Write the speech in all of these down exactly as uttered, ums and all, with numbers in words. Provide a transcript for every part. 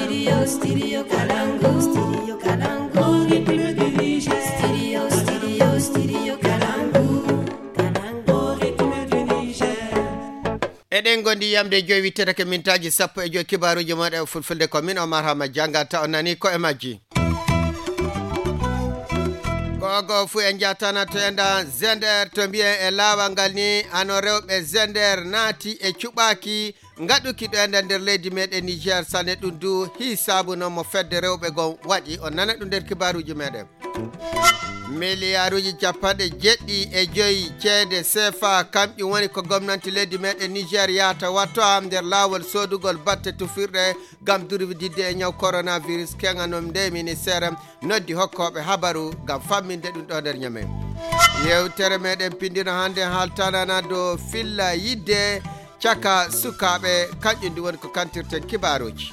Studio, studio Kalangu, studio Kalangu, rythme du Niger. Studio, studio, studio Kalangu, Kalangu, rythme du Niger. Eɗen gondi yamde joyi wittetake mintaaji sappo e joyi kibaaruji moɗe e fulfulde ko min Omar Hama jangata on nani ko e majji. Gogo fu en jatana to enda zender to mbiyen e laawal ngal ni ano rewɓe zender naati e cuɓaaki ngaɗuki ɗo enda nder leydi meɗen Niger sane ɗum du hi saabu noon mo fedde rewɓe gon waɗi on nana ɗum nder kibaaruji meɗen. Miliyaaruji capanɗe jeɗɗi e joyi ceede sefa kamƴum woni ko gomnanti leydi meɗen Niger yahata watto am nder laawol soodugol batte tufirɗe ngam durwididde e ñaw coronavirus keŋa noon nde ministère noddi hokkooɓe habaru ngam famminde ɗum ɗo nder ñame. Yewtere meɗen pindino hannde haaltanana dow filla yidde caka sukaaɓe kanƴum ndi woni ko kantirten kibaaruji.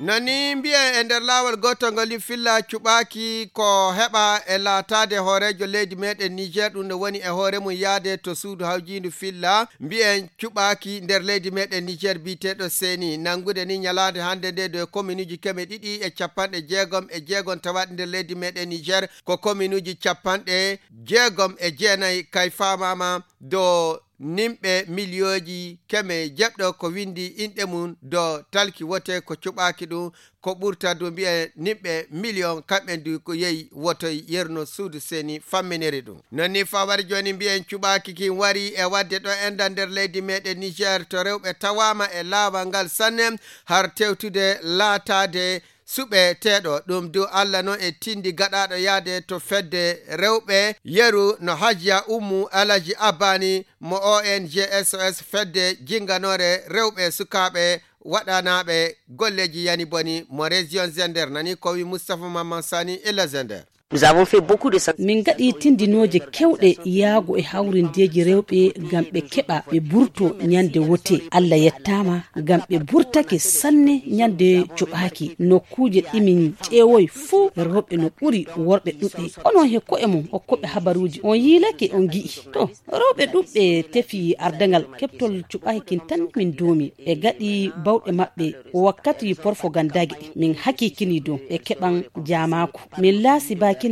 Nani mbiyen e nder laawol gootol ngol filla cuɓaaki ko heɓa e laataade hooreejo leydi meɗen Niger ɗum no woni e hoore mum yaade to suudu hawjiindu filla mbiyen cuɓaaki nder leydi meɗen Niger biyeteeɗo seni nanngude ni ñalaande hannde nde dow kominuuji keme ɗiɗi e capanɗe jeegom e jeegom tawaaɗi nder leydi meɗen Niger ko kominuuji capanɗe jeegom e jeenayi kay faamaama dow nimɓe miliyooji keme jeɗɗo ko winndi inɗe mum dow talki wote ko cuɓaaki ɗum ko ɓurta du mbiyen nimɓe miliyon kamɓe du ko yehi wotoy yerno suudu seni famminiri ɗum. Non ni fawar jooni mbiyen cuɓaaki kin wari e wadde ɗo enda nder leydi meɗen Niger to rewɓe tawaama e laawal ngal sanne har tewtude laataade suɓeteeɗo ɗum du Allah noon e tindi gaɗaaɗo yaade to fedde rewɓe yeru no Hajiya Ummu Alaji Abani mo O N G S O S fedde jinnganoore rewɓe sukaaɓe waɗanaaɓe golleeji yani boni mo région Zender nani ko wi Moustapha Mamman Sani ila Zender. Nous avons fait beaucoup de sensibilisation. Min ngaɗi tindinooje kewɗe yaago e hawrindeeji rewɓe ngam ɓe keɓa ɓe burto ñande wote. Allah yettaama ngam ɓe burtake sanne ñande cuɓaaki. Nokkuuje ɗi min ƴeewoy fuu rewɓe no ɓuri worɓe ɗuuɗude. Onon he ko'e mon okkoɓe habaruuji on yiilake on gi'i. To rewɓe ɗuuɗuɓe tefi ardaŋal keɓtol cuɓaaki kin tan min duumi. Ɓe gaɗi bawɗe maɓɓe wakkati porfogandage min hakiikini dow ɓe keɓan jaamaaku. Min laasi baakina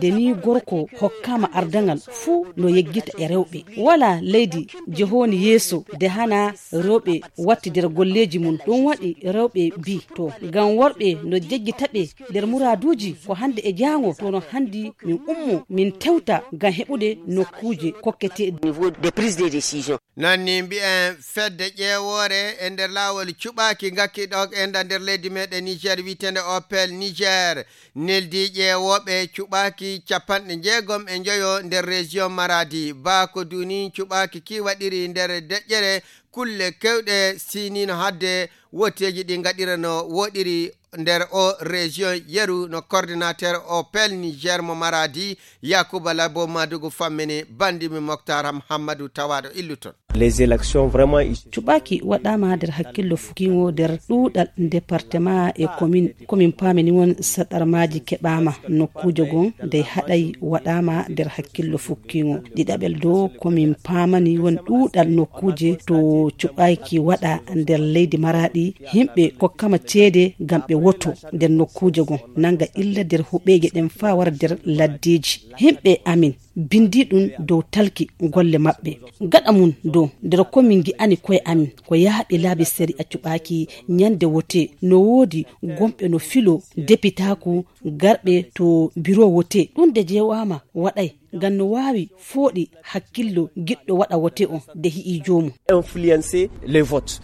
de ni gorko hokkaama ardaŋal fuu no yeggita e rewɓe. Walaa leydi jehooni yeeso de hana rewɓe watti nder golleeji mum. Ɗum waɗi rewɓe mbii to ngam worɓe no jeggita ɓe nder muraaduuji ko hannde e jaango to no hanndi min ummo min tewta ngam heɓude nokkuuje kokketeeɗe. Au niveau des prises de décision. Nanni mbiyen fedde ƴeewoore e nder laawol cuɓaaki ngakki ɗo e nda nder leydi meɗen Niger wiyeteende Opel Niger neldi ƴeewooɓe cuɓaaki capanɗe jeegom e njoyo nder région Maradi. Baa ko duni cuɓaaki ki waɗiri nder deƴƴere kulle kewɗe sinino hadde woteeji ɗi ngaɗira no woɗiri nder o région yeru no coordinateur Opel Niger mo Maradi Yakuba Labo Madugu fammini bandimi Moktar Hammadou tawaaɗo illuton. Les élections vraiment. Cuɓaaki waɗaama nder hakkillo fukkiŋo nder ɗuuɗal département e commune. Komin paamini won saɗarmaaji keɓaama nokkuuje gon dey haɗay waɗaama nder hakkillo fukkiŋo. Ɗiɗaɓel dow komin paamani won ɗuuɗal nokkuuje to cuɓaaki waɗa nder leydi Maradi. Yimɓe kokkama ceede ngam ɓe woto nder nokkuuje gon nanga illa nder huɓeeje ɗen faa wara nder laddeeji. Yimɓe amin bindi ɗum dow talki golle maɓɓe. Gaɗa mum dow nder ko min ngi'ani koye amin ko yahɓe laabi sariya cuɓaaki ñande wote no woodi gomɓe no filo depitaaku garɓe to biro wote. Ɗum de jeewaama waɗay ngam no waawi fooɗi hakkillo giɗɗo waɗa wote on de hi'i joomum. Influencer les votes.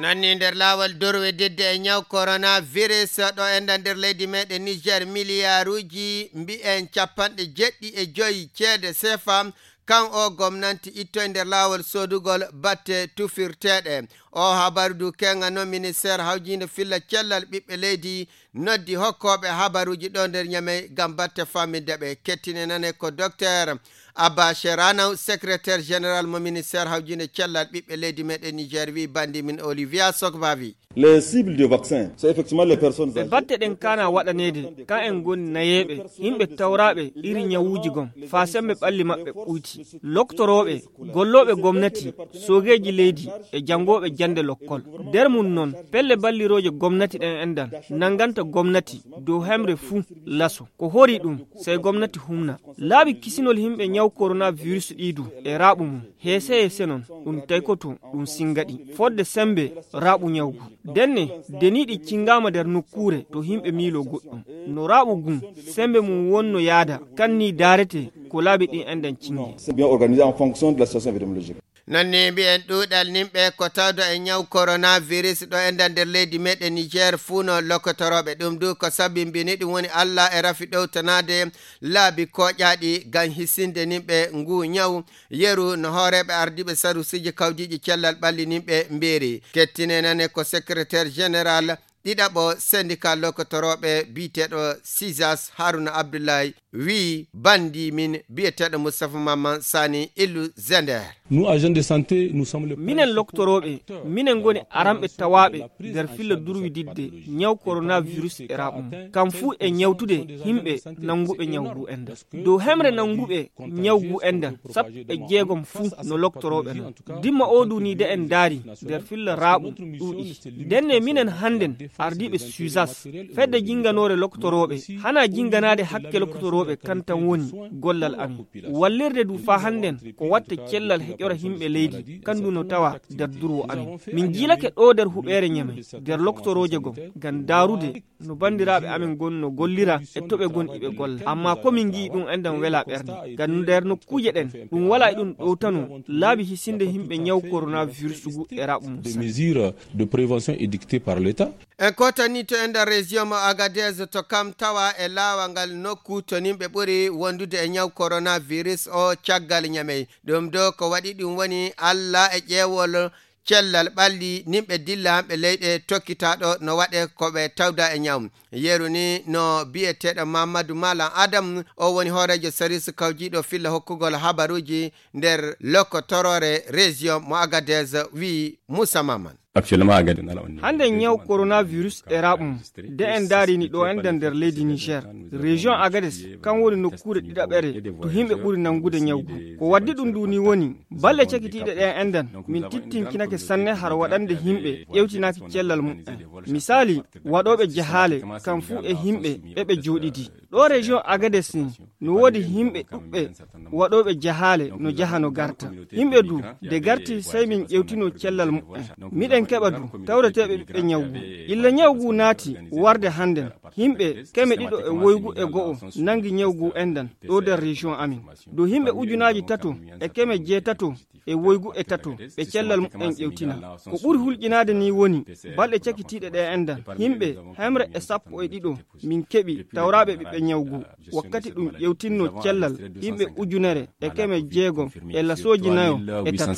Nanni nder laawol dorwe dedde e ñaw coronavirus ɗo enda nder leydi meɗen Niger miliyaaruuji mbi'en capanɗe jeɗɗi e joyi ceede sefa kan o gomnanti ittoy nder laawol soodugol batte tufirteeɗe. O habaru du keŋa noon ministeer hawjiinde filla cellal ɓiɓɓe leydi noddi hokkooɓe habaruuji ɗo nder Ñamey ngam batte faaminde ɓe. Kettine nane ko dokteer Abba Sheranaw, sekreteer jeneral mo ministeer hawjiinde cellal ɓiɓɓe leydi meɗen Niger, wi bandi min Olivia Sokbavi. Les cibles de vaccin, c'est effectivement les personnes ɓe âgées. Batte ɗen kana waɗaneede, ka en ngoni nayeeɓe, yimɓe tawraaɓe iri ñawuuji gom, faa sembe ɓalli maɓɓe ɓuyti. Loktorooɓe, gollooɓe gomnati, soogeeji leydi, e janngooɓe jannde lokkol. Nder mum non, pelle ballirooje gomnati ɗen enɗan, nannganta gomnati, dow hemre fuu, laso. Ko hori ɗum, sey gomnati humna. Laabi kisinol yimɓe ñaw coronavirus ɗii du, e raaɓu mum. Heese heese non, ɗum taykoto, ɗum singaɗi. Fodde sembe, raaɓu ñawgu. Denne, deniiɗi cingaama nder nokkuure to yimɓe miiloo goɗɗum. No raaɓu gun, sembe mum wonno yaada, kan ni daarete ko laabi ɗin enɗan cingi. C'est bien organisé en fonction de la situation épidémiologique. Non ni mbiyen ɗuuɗal nimɓe ko tawdo e ñaw coronavirus ɗo enɗan nder leydi meɗen Niger fuu no lokkotorooɓe. Ɗum du ko sabimbini ɗum woni Alla e rafi ɗowtanaade laabi koƴaaɗi ngam hisinde nimɓe ngu ñaw. Yeru no hooreeɓe ardiiɓe sarusiiji kawjiiɗi cellal ɓalli nimɓe mbiiri. Kettine nane ko secrétaire général ɗiɗaɓo syndicat lokkotorooɓe biyeteeɗo Sizas Haruna Abdullahi wii bandi min biyeteeɗo Moustapha Mamman Sani Illu Zender. Nous, agents de santé, nous sommes le minen principal loktorooɓe, acteur minen ngoni de la aranɓe prévention tawaaɓe et la prise nder en filla charge de cette durwididde pathologie. Ñaw coronavirus e raɓum. Kam fuu e ñawtude yimɓe nannguɓe ñaw ngu enɗan. Dow hemre nannguɓe ñaw ngu enɗan, sappo e jeegom fuu no loktorooɓe non. Dimma oo du ni de en ndaari nder filla raaɓu ɗuuɗi. Ndenne minen hannden ardiiɓe Suzas, fedde jinnganoore loktorooɓe, hana jinnganaade hakke loktorooɓe kan tan woni gollal amin. Wallirde du faa hannden ko watte cellal heƴora yimɓe leydi, kan du no tawa nder durwo amin. Min jiilake ɗoo nder huɓeere Ñamey, nder loktorooje gom, ngam ndaarude no banndiraaɓe amin ngon no gollira e to ɓe ngon iɓe golla. Ammaa ko min ngi'i ɗum enɗan wela ɓernde. Ngam nder nokkuuje ɗen, ɗum wala e ɗum ɗowtano laabi hisinde yimɓe ñaw coronavirus ngu e raɓu mum. Des mesures de prévention édictées par l'État. En kootanii to e nder région mo Agadez to kam tawa e laawal ngal nokku to nimɓe ɓuri wondude e ñaw coronavirus o caggal Ñamey. Ɗum ɗo ko waɗi ɗum woni Alla e ƴeewol cellal ɓalli nimɓe dilla hamɓe leyɗe tokkitaaɗo no waɗe ko ɓe tawda e ñaw. Yeru ni no biyeteeɗo Mamadou Malam Adam, o woni hooreejo saris kawjiiɗo filla hokkugol habaruuji nder lokko toroore région mo Agadez, wi Moussa Maman. Actuellement, Agadez, nala on. Hannde ñaw coronavirus e raɓum, de en ndaarini ɗo enɗan nder leydi Niger. Région Agadez, kan woni nokkuure ɗiɗaɓere to yimɓe ɓuri nangude ñawgu. Ko waddi ɗum ndu ni woni, balɗe cakitiiɗe ɗe enɗan, min tittinkinake sanne har waɗande yimɓe ƴewtinaaki cellal mumen. Misali, waɗooɓe jahaale, kam fuu e yimɓe ɓe ɓe jooɗidi. Ɗo région Agadez ni, no woodi yimɓe ɗuɓɓe waɗooɓe jahaale no jaha no garta. Yimɓe du, de garti sey min ƴewtino cellal mumen. Miɗen keɓa du, tawreteeɓe ɓiɓɓe ñawgu. Illa ñawgu naati warde hannden. Yimɓe keme ɗiɗo e woygu e go'o nangi ñawgu enɗan ɗo nder région amin. Dow yimɓe ujunaaji tato e keme jeetato e woygu e tato ɓe cellal mumen ƴewtina. Ko ɓuri hulƴinaade ni woni balɗe cakitiiɗe ɗe enɗan. Yimɓe hemre e sappo e ɗiɗo min keɓi tawraaɓe ɓiɓɓe ñawgu. Wakkati ɗum ƴewtinno cellal yimɓe ujunere e keme jeegom e lasooji nayo e tato.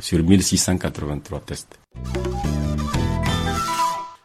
Sur mille six cent quatre-vingt-trois tests.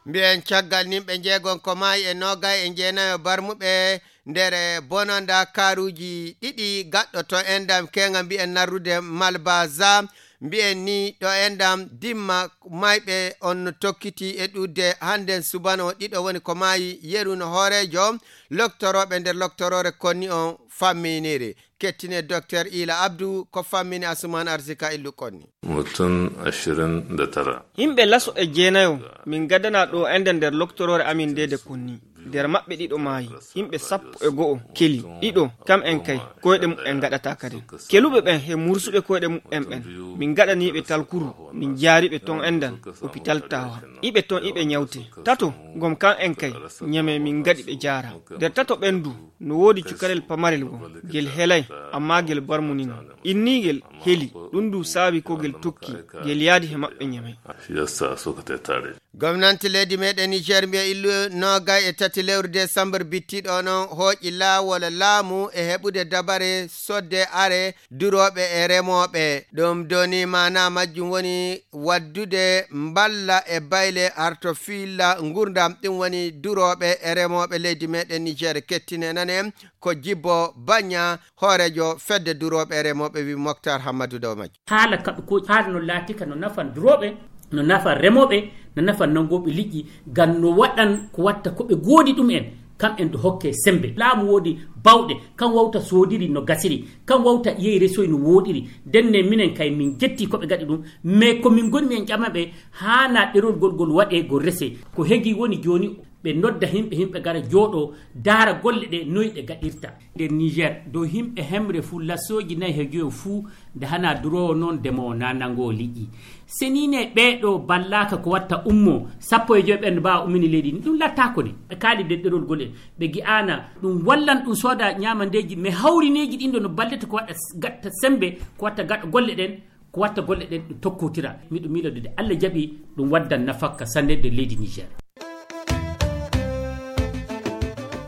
Mbiyen caggal nimɓe njeegon ko maayi e noogay e jeenayo barmuɓe nder bononda kaaruuji ɗiɗi gaɗɗo to endam keŋa mbiyen narrude Malbaza. Mbiyen ni ɗo endam dimma mayɓe on no tokkiti e ɗuuɗde hannden subano ɗiɗo woni ko maayi yeru no hooreejo loktorooɓe nder loktoroore konni on famminiri. Kettine Docteur Ila Abdu ko fammini Asuman Arzika Illu konni. Mutum ashirin da tara. Yimɓe laso e jeenayo min gadana ɗo ende nder loktoroore amin nde de konni. Nder maɓɓe ɗiɗo maayi. Yimɓe sappo e go'o keli. Ɗiɗo kam en kay koyɗe mumen gaɗata kadi. Keluɓe ɓen he mursuɓe koyɗe mumen ɓen min gaɗaniiɓe talkuru min jaariɓe ton endan opital tawa. Iɓe ton iɓe ñawte. Tato ngom kam en kay ñame min gaɗi ɓe jaara. Nder tato ɓen du no woodi cukalel pamarel goo, ngel helay, ammaa ngel barmunino. Innii ngel heli, ɗum du saabi ko ngel tokki, ngel yaadi he maɓɓe ñame. Shi yasa suka tattare. Gomnanti leydi meɗen Niger mbiya illu noogay e tati lewru desambur bittiɗo non hooƴi laawol laamu e heɓude dabare sodde are durooɓe e remooɓe. Ɗum doni maana majjum woni waddude mballa e bayle arto fiilla ngurdam. Ɗum woni durooɓe e remooɓe leydi meɗen Niger kettine nane ko Jibbo Banya, hooreejo fedde durooɓe e remooɓe, wi Moktar Hammadu Dawmaji. Haala kaɓe ko haala no laatika no nafan durooɓe, no nafan remooɓe, no nafan nanngooɓe liƴƴi, ngam no waɗan ko watta ko ɓe goodi ɗum en, kam en do hokke sembe. Laamu woodi bawɗe, kam wawta soodiri no gasiri, kam wawta yehi resoy no wooɗiri. Ndenne minen kay min jetti ko ɓe gaɗi ɗum, mais ko min ngoni mi en ƴama ɓe, haana ɗerol gol gol waɗe gol rese. Ko hegi woni jooni ɓe nodda himɓe, himɓe gara jooɗo daara golle ɗe noy ɗe gaɗirta. Nder Niger, dow himɓe hemre fuu lasooji nayi he joyo fuu, nde hana duroowo noon ndemowo na nangoo liƴƴi. Senine ɓeeɗo ballaaka ko watta ummo, sappo e joyo ɓen no mbaawa ummini leydi ndi. Ɗum lattaako ni. Ɓe kaali nder ɗerol gol en. Ɓe gi'aana ɗum wallan ɗum sooda ñaamandeeji, mais hawrineeji ɗin ɗo no ballete ko waɗa s-, gatta sembe, ko watta gaɗa golle ɗen, ko watta golle ɗen ɗum tokkotira. Miɗo miilodude Allah jaɓi ɗum waddan nafakka sanne nder leydi Niger.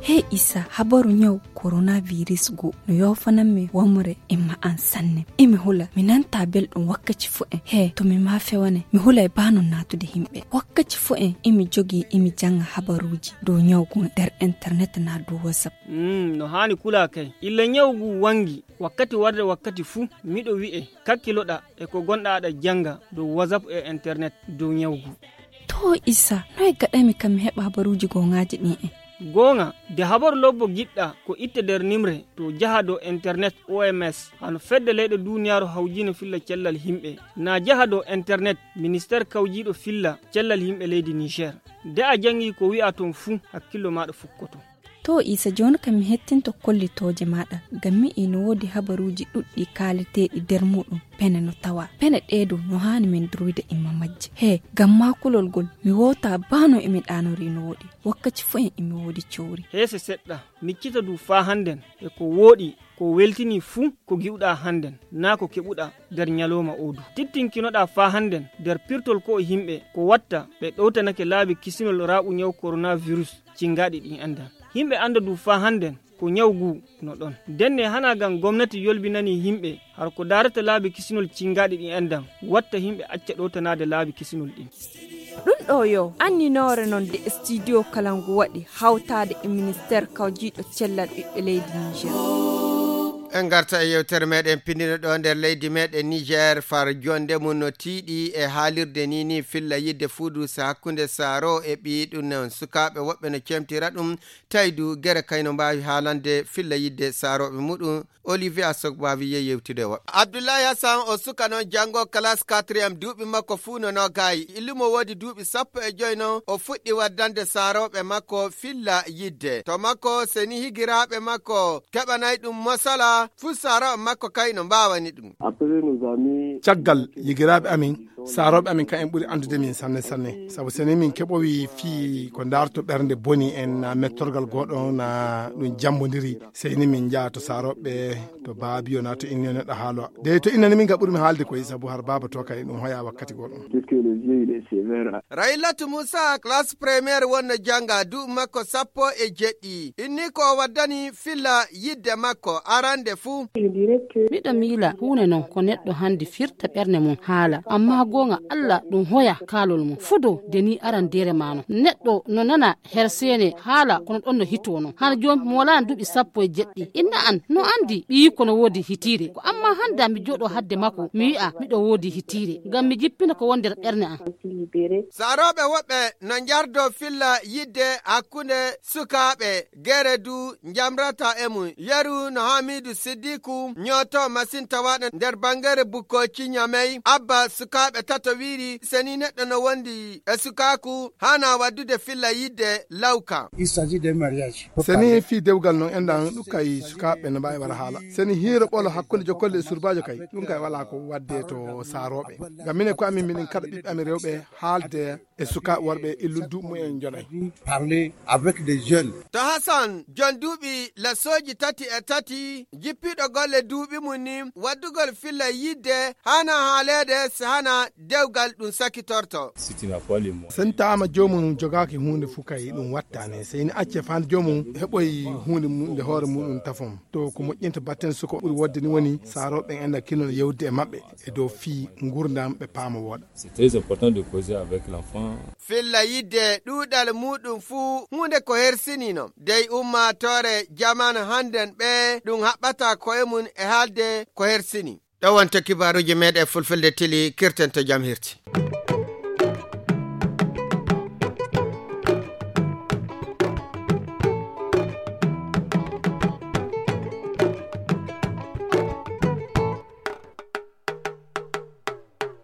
Hey Issa, habaru ñaw coronavirus go no yoofanammi wamre e ma'an sanne. Emi hula, mi nanta belɗum wakkaci fu en. He, to mi ma fewane, mi hulay ba non natude himɓe. Wakkaci fu en, emi jogi, emi janga habaruji dow ñaw go nder internet na dow WhatsApp. Mm, no haani kula kay. Illa ñaw gu wangi, wakkati warde wakkati fu, miɗo wi'e, kakkiloɗa e ko gonɗa aɗa janga dow WhatsApp e internet dow ñaw gu. To Issa, noy gaɗami kam mi heɓa habaruji gongaaji ɗin en? Goonga, de habaru lobbo giɗɗa ko itte nder nimre to jaha dow internet O M S, hano fedde leyɗe duniyaaru hawjiino filla cellal himɓe. Na jaha dow internet, ministeer kawjiiɗo filla cellal yimɓe leydi Niger. De a jangi ko wi'a ton fuu, hakkillo maaɗa fukkoto. To Isa, jooni kam mi hettinto kollitooje maaɗa, ngam mi ino woodi habaruuji ɗuɗɗi kaaleteeɗi nder muuɗum pene no tawa. Pene ɗee dow no haani min durwida imma majje. He, ngam maa kulol ngol, mi woota baa no emi ɗaanori no woɗi. Wakkaci fuu en emi woodi cowri. Heese seɗɗa, miccita du faa hannden e ko wooɗi, ko weltini fuu ko gi'uɗaa hannden, naa ko keɓuɗaa nder nyalooma oo du. Tittinkinoɗaa faa hannden nder pirtol ko'o yimɓe, ko watta ɓe ɗowtanake laabi kisinol raaɓu nyawu coronavirus cingaaɗi ɗin enɗan. Yimɓe annda du faa hannden ko nyawu ngu no ɗon. Ndenne hanaa ngam gomnati yolbinanii yimɓe har ko daarata laabi kisinol cingaaɗi ɗin enɗan, watta yimɓe acca ɗowtanaade laabi kisinol ɗin. Ɗum ɗo yo anninoore noon nde studio kala ngu waɗi hawtaade e ministeer kawjiiɗo cellal ɓiɓɓe leydi Niger. En ngarta e yewtere meɗen pindino ɗo nder leydi meɗen Niger, far jonde mum no tiiɗi e haalirde ni ni filla yidde fuudusa hakkunde Saaro e ɓiyi ɗum noon. Sukaaɓe woɓɓe no cemtira ɗum, tawi du gere kay no mbaawi haalande filla yidde Saaroɓe muɗum. Olivier Asogbavi ye yewtude e woɓɓe. Abdoulaye Hassan o suka noon janngo classe quatrième, duuɓi makko fuu no nogayi. Illumo woodi duuɓi sappo e joy noon, o fuɗɗi waddande Saaroɓe makko filla yidde. To makko seni higiraaɓe makko keɓanay ɗum mosala, fuu Saaroɓe makko kay no mbaawani ɗum. Après nos amis. Caggal yigiraaɓe amin, Saarooɓe amin kam en ɓuri anndude min sanne sanne. Sabu seni min keɓowi fii ko ndaarto ɓernde boni en, na mettorgal gooɗo na ɗum jammbondiri. Sey ni min njaha to Saarooɓe, to Baabiyo na to Inniyo neɗɗo haalowa. De to Inniyo ni min kam ɓurmi haalde koy sabu har baaba to kay ɗum hoya wakkati gooɗo. Puisque le vieux il est sévère. Raylatu Muusa, classe première wonno jannga, duuɓi makko sappo e jeɗɗi. Inni ko o waddani filla yidde makko arande fuu. Miɗo miila huunde non ko neɗɗo hande firta ɓernde mum haala, amma goonga Alla ɗum hoya kaalol mum. Fudo de ni arandeere ma non. Neɗɗo no nana herseene haala kono ɗon no hitoo non. Hano jooni mi walaano duuɓi sappo e jeɗɗi. Inna an no andi ɓiyiiko no woodi hitiire. Ko amma hande mi jooɗoo hadde makko mi wi'a miɗo woodi hitiire. Ngam mi jippina ko woni nder ɓernde an. Saarooɓe woɓɓe no njardoo filla yidde hakkunde sukaaɓe. Gere du njamrata e mum. Yeru no Hamidu Siddiku ñooto masin tawaaɗo nder banngere Bukkoci Ñamey. Abba sukaaɓe tato wiiri seni neɗɗo no wondi e sukaaku hana waddude filla yidde lawka. Il s'agit de mariage. Seni fii dewgal non enɗan ɗum kay sukaaɓe no mbaawi wara haala. Seni hiiro ɓolo hakkunde jokolle e surbaajo kay ɗum kay wala ko wadde to Saarooɓe. Ngam minen ko amin miɗen kaɗa ɓiɓɓe amin rewɓe haalde e sukaaɓe worɓe illun duuɓi mumen jonay. Parler avec des jeunes. To Hassan, jon duuɓi lasooji tati e tati, jippiiɗo golle duuɓi mum ni, waddugol filla yidde hana haaleede si hana dewgal ɗum sakitorto. Sentaama joomum jogaaki huunde fuu kay ɗum wattaane, sey ni acce faa joomum heɓoy huunde mum nde hoore muɗum tafon. To ko moƴƴinta batten suko ɓuri wodde ni woni saarooɓe en ena kinol yewde e maɓɓe e dow fii nguurndam ɓe paama wooɗa. C'est très important de causer avec l'enfant. Filla yidde ɗuuɗal muɗum fuu huunde ko hersinino dey ummaatoore jamaanu hannden ɓe ɗum haɓɓata koye mum e haalde ko hersini. Ɗo wonto kibaaruuji meeɗen fulfulde tili kirten to jam hirti.